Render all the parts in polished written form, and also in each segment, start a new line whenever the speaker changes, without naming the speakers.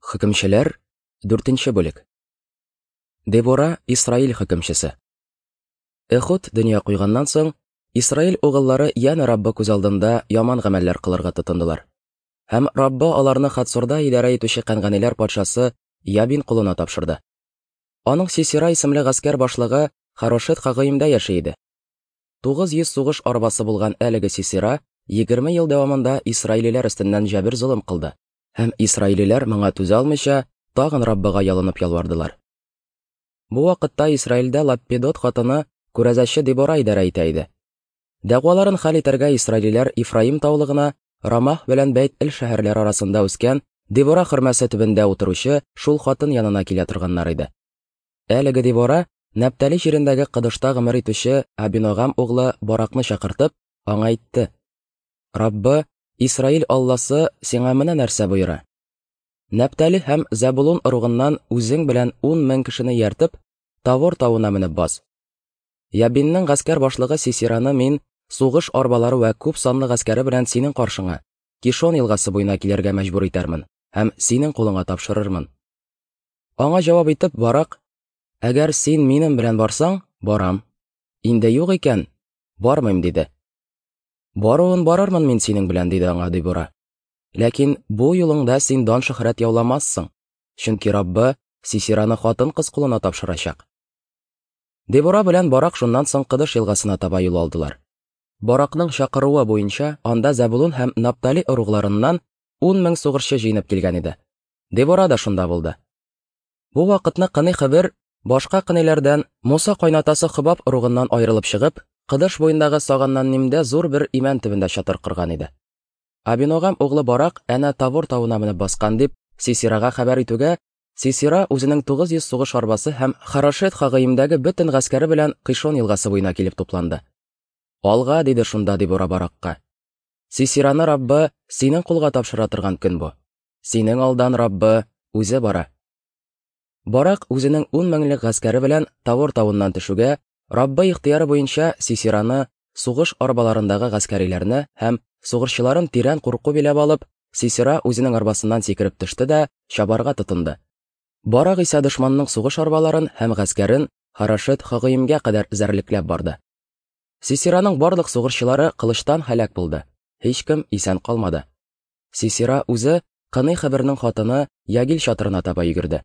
Хөкемчеләр, 4 бүлек. Дебора Исраил хөкемчесе. Эхуд дөнья куйганнан соң, Исраил угыллары янә Раббы күз алдында яман гамәлләр кылырга тотындылар. Һәм Раббы аларны Хатсурда идарә итүче кәнганиләр патшасы Ябин кулына тапшырды. Аның Сисера исемле гаскәр башлыгы Харошет Хагыимдә яши иде. 900 сугыш арбасы булган әлеге Сисера 20 ел дәвамында исраилиләр өстеннән җәбер-золым кылды. Һәм исраилиләр моңа түзә алмыйча, тагын Раббыга ялынып ялвардылар. Бу вакытта Исраилдә Лаппидот хатыны күрәзәче Дебора идарә итә иде. Дәгъваларын хәл итәргә исраилиләр Ифраим таулыгына, Рамах белән Бәйт-Эл шәһәрләре арасында үскән Дебора хөрмәсе төбендә утыручы шул хатын янына килә торганнар иде. Әлеге Дебора Нәптали җирендәге Кыдышта гомер итүче Абиногам углы Баракны чакыртып, аңа әйтте: Раббы, Исраил Алласы сиңа менә нәрсә боера. Нәптали һәм Зәбулун ыругыннан үзең белән 10 мең кешене ияртеп, Тавор тавына менеп бас. Ябинның гаскәр башлыгы Сисираны мин сугыш арбалары вә күп санлы гаскәре белән синең каршыңа, Кишон елгасы буена килергә мәҗбүр итәрмен һәм синең кулыңа тапшырырмын. Аңа җавап итеп Барак, Әгәр син минем белән барсаң, барам. Инде юк икән, бармыйм, диде. Баруын барырмын мин синең белән, диде аңа Дебора. Ләкин бу юлыңда син дан-шөһрәт яуламассың, чөнки Раббы Сисираны хатын-кыз кулына тапшырачак. Дебора белән Барак шуннан соң Кыдыш елгасына таба юл алдылар. Баракның чакыруы буенча анда Зәбулун һәм Наптали ыругларыннан 10 мең сугышчы җыенып килгән иде. Дебора да шунда булды. Бу вакытны Кыный Хыбер башка кыниләрдән Муса кайнатасы Хобаб ыругыннан аерылып чыгып, Кыдыш буендагы Саганнаннимдә зур бер имән төбендә чатыр корган иде. Абиногам углы Барак әнә Тавор тавына менеп баскан дип Сисирага хәбәр итүгә, Сисира үзенең 900 сугыш арбасы һәм Харошет Хагыимдәге бөтен гаскәре белән Кыйшон елгасы буена килеп тупланды. Алга, диде шунда Дебора Баракка. Сисираны Раббы синең кулга тапшыра торган көн бу. Синең алдан Раббы үзе бара. Барак үзенең ун меңлек гаскәре белән Тавор тавыннан төшүгә, Раббы ихтыяры буенча Сисираны, сугыш арбаларындагы гаскәриләрне һәм сугышчыларын тирән курку биләп алып, Сисера үзенең арбасыннан сикереп төште дә чабарга тотынды. Барак исә дошманның сугыш арбаларын һәм гаскәрен Харашет Хагыимгә кадәр эзәрлекләп барды. Сисераның барлык сугышчылары кылычтан һәлак булды, һичкем исән калмады. Сисера үзе Кыный Хәбернең хатыны Ягил чатырына таба йөгерде.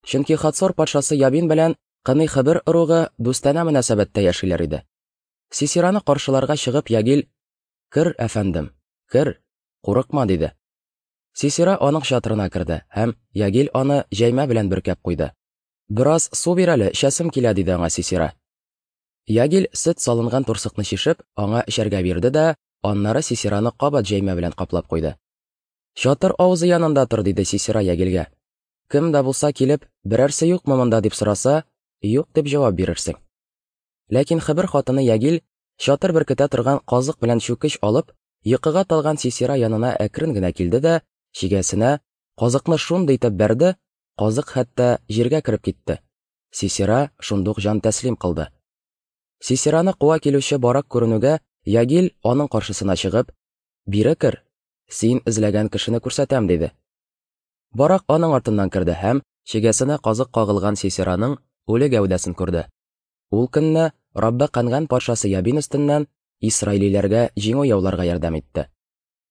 Чөнки Хацор патшасы Ябин белән Кыный Хәбер ыругы дустанә мөнәсәбәттә яшиләр иде. Сисераны каршыларга чыгып Ягил: "Кер, әфәндем, кер, курыкма", диде. Сисера аның чатырына керде һәм Ягил аны җәймә белән бөркәп куйды. "Бераз су бир әле, эчәсем килә", диде аңа Сисера. Ягил сөт салынган турсыкны чишеп, аңа эчәргә бирде дә, аннары Сисераны кабат җәймә белән каплап куйды. Чатыр авызы янында тор, диде Сисера Ягилгә. Кем дә булса килеп, берәрсе юкмы монда дип сораса, юк дип җавап бирерсең. Ләкин Хебер хатыны Ягил чатыр беркетә торган казык белән чүкеч алып, йокыга талган Сисера янына әкрен генә килде дә, чигәсенә казыкны шундый итеп бәрде, казык хәтта җиргә кереп китте. Сисера шундук җан тәслим кылды. Сисераны куа килүче Барак күренүгә, Ягил аның каршысына чыгып, "Бире кер, син эзләгән кешене күрсәтәм", диде. Барак аның артыннан керде һәм чигәсенә казык кагылган Сисераның үле гәүдәсен күрде. Ул көнне Раббы Канган патшасы Ябин өстеннән исраилиләргә җиңү яуларга ярдәм итте.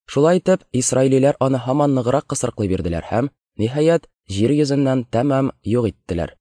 Шулай итеп, исраилиләр аны һаман ныграк кысрыклый бирделәр һәм, ниһаять, җир йөзеннән тәмам юк иттеләр.